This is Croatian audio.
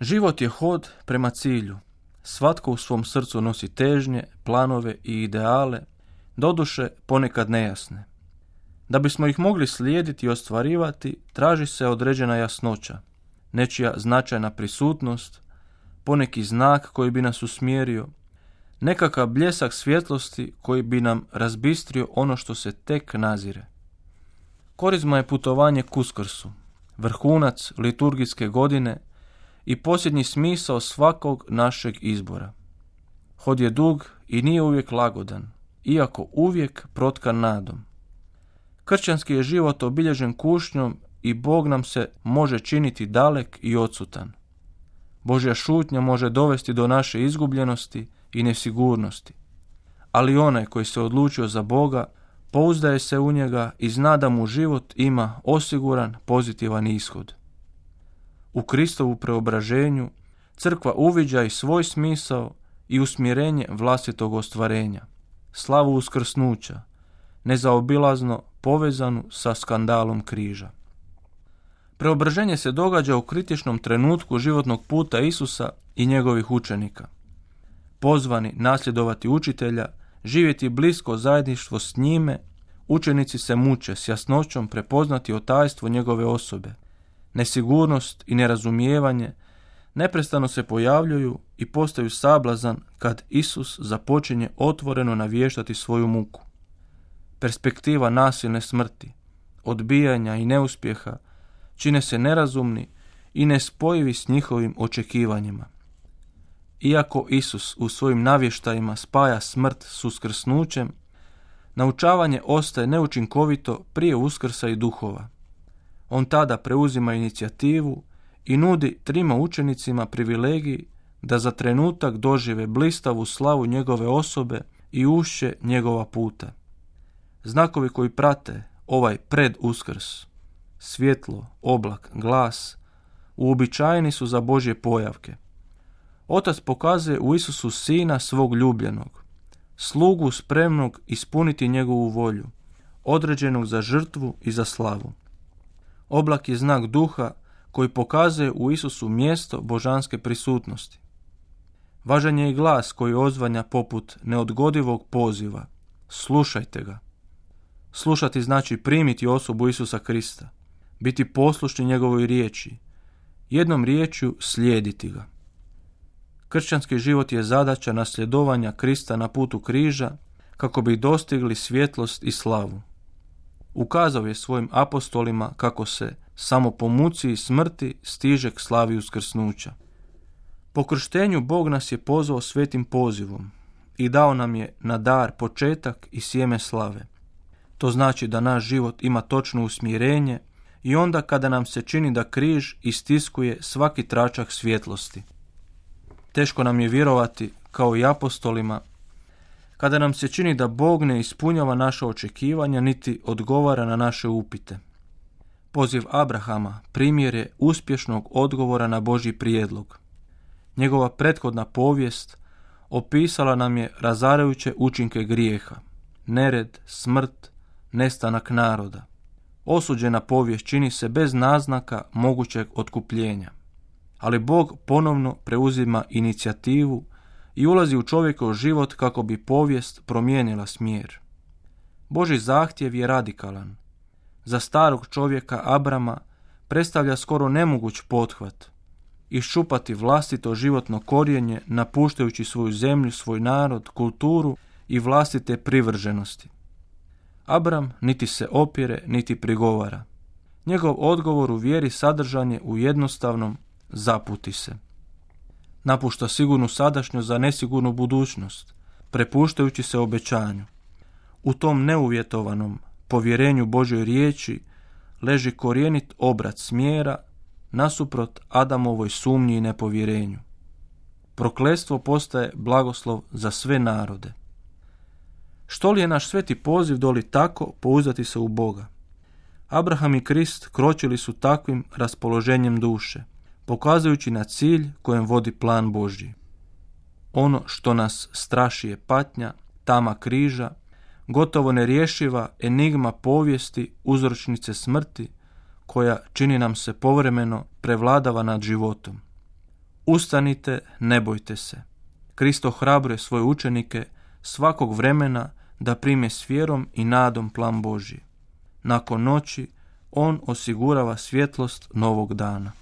Život je hod prema cilju. Svatko u svom srcu nosi težnje, planove i ideale, doduše ponekad nejasne. Da bismo ih mogli slijediti i ostvarivati, traži se određena jasnoća, nečija značajna prisutnost, poneki znak koji bi nas usmjerio, nekakav bljesak svjetlosti koji bi nam razbistrio ono što se tek nazire. Korizma je putovanje k Uskrsu, vrhunac liturgijske godine i posljednji smisao svakog našeg izbora. Hod je dug i nije uvijek lagodan, iako uvijek protkan nadom. Kršćanski je život obilježen kušnjom i Bog nam se može činiti dalek i odsutan. Božja šutnja može dovesti do naše izgubljenosti i nesigurnosti. Ali onaj koji se odlučio za Boga, pouzdaje se u njega i zna da mu život ima osiguran pozitivan ishod. U Kristovu preobraženju crkva uviđa i svoj smisao i usmjerenje vlastitog ostvarenja, slavu uskrsnuća, nezaobilazno povezanu sa skandalom križa. Preobraženje se događa u kritičnom trenutku životnog puta Isusa i njegovih učenika. Pozvani nasljedovati učitelja, živjeti blisko zajedništvo s njime, učenici se muče s jasnoćom prepoznati otajstvo njegove osobe. Nesigurnost i nerazumijevanje neprestano se pojavljuju i postaju sablazan kad Isus započinje otvoreno navještati svoju muku. Perspektiva nasilne smrti, odbijanja i neuspjeha čine se nerazumni i nespojivi s njihovim očekivanjima. Iako Isus u svojim navještajima spaja smrt s uskrsnućem, naučavanje ostaje neučinkovito prije uskrsa i duhova. On tada preuzima inicijativu i nudi trima učenicima privilegij da za trenutak dožive blistavu slavu njegove osobe i ušće njegova puta. Znakovi koji prate ovaj preduskrs, svjetlo, oblak, glas, uobičajeni su za Božje pojavke. Otac pokazuje u Isusu Sina svog ljubljenog, slugu spremnog ispuniti njegovu volju, određenog za žrtvu i za slavu. Oblak je znak duha koji pokazuje u Isusu mjesto božanske prisutnosti. Važan je i glas koji odzvanja poput neodgodivog poziva. Slušajte ga. Slušati znači primiti osobu Isusa Krista, biti poslušni njegovoj riječi, jednom riječju slijediti ga. Kršćanski život je zadaća nasljedovanja Krista na putu križa kako bi dostigli svjetlost i slavu. Ukazao je svojim apostolima kako se samo po muci i smrti stiže k slavi uskrsnuća. Po krštenju Bog nas je pozvao svetim pozivom i dao nam je na dar početak i sjeme slave. To znači da naš život ima točno usmjerenje i onda kada nam se čini da križ istiskuje svaki tračak svjetlosti. Teško nam je vjerovati, kao i apostolima, kada nam se čini da Bog ne ispunjava naša očekivanja niti odgovara na naše upite. Poziv Abrahama primjer je uspješnog odgovora na Božji prijedlog. Njegova prethodna povijest opisala nam je razarajuće učinke grijeha, nered, smrt, nestanak naroda. Osuđena povijest čini se bez naznaka mogućeg otkupljenja. Ali Bog ponovno preuzima inicijativu i ulazi u čovjekov život kako bi povijest promijenila smjer. Božji zahtjev je radikalan. Za starog čovjeka Abrama predstavlja skoro nemoguć pothvat. Iščupati vlastito životno korijenje napuštajući svoju zemlju, svoj narod, kulturu i vlastite privrženosti. Abram niti se opire, niti prigovara. Njegov odgovor u vjeri sadržan je u jednostavnom zaputi se. Napušta sigurnu sadašnjost za nesigurnu budućnost, prepuštajući se obećanju. U tom neuvjetovanom povjerenju Božjoj riječi leži korijenit obrat smjera nasuprot Adamovoj sumnji i nepovjerenju. Prokletstvo postaje blagoslov za sve narode. Što li je naš sveti poziv doli tako pouzdati se u Boga? Abraham i Krist kročili su takvim raspoloženjem duše, pokazujući na cilj kojem vodi plan Božji. Ono što nas straši je patnja, tama križa, gotovo nerješiva enigma povijesti uzročnice smrti, koja čini nam se povremeno prevladava nad životom. Ustanite, ne bojte se. Kristo hrabruje svoje učenike svakog vremena da prime s vjerom i nadom plan Božji. Nakon noći on osigurava svjetlost novog dana.